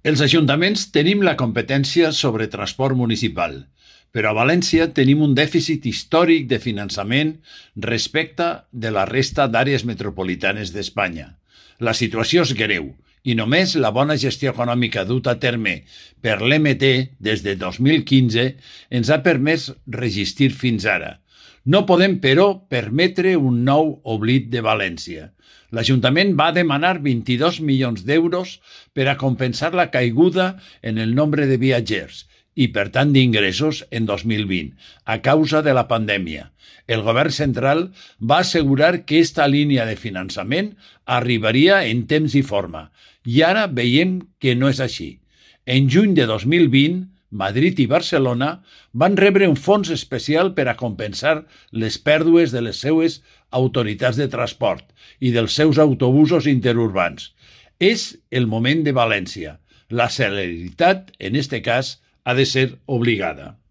Els ajuntaments tenim la competència sobre transport municipal, però a València tenim un dèficit històric de finançament respecte de la resta d'àrees metropolitanes d'Espanya. La situació és greu i només la bona gestió econòmica duta a terme per l'EMT des de 2015 ens ha permès resistir fins ara. No podem, però, permetre un nou oblit de València. L'Ajuntament va demanar 22 milions d'euros per a compensar la caiguda en el nombre de viatgers i, per tant, d'ingressos en 2020, a causa de la pandèmia. El govern central va assegurar que aquesta línia de finançament arribaria en temps i forma, i ara veiem que no és així. En juny de 2020, Madrid i Barcelona van rebre un fons especial per a compensar les pèrdues de les seues autoritats de transport i dels seus autobusos interurbans. És el moment de València. La celeritat, en este cas, ha de ser obligada.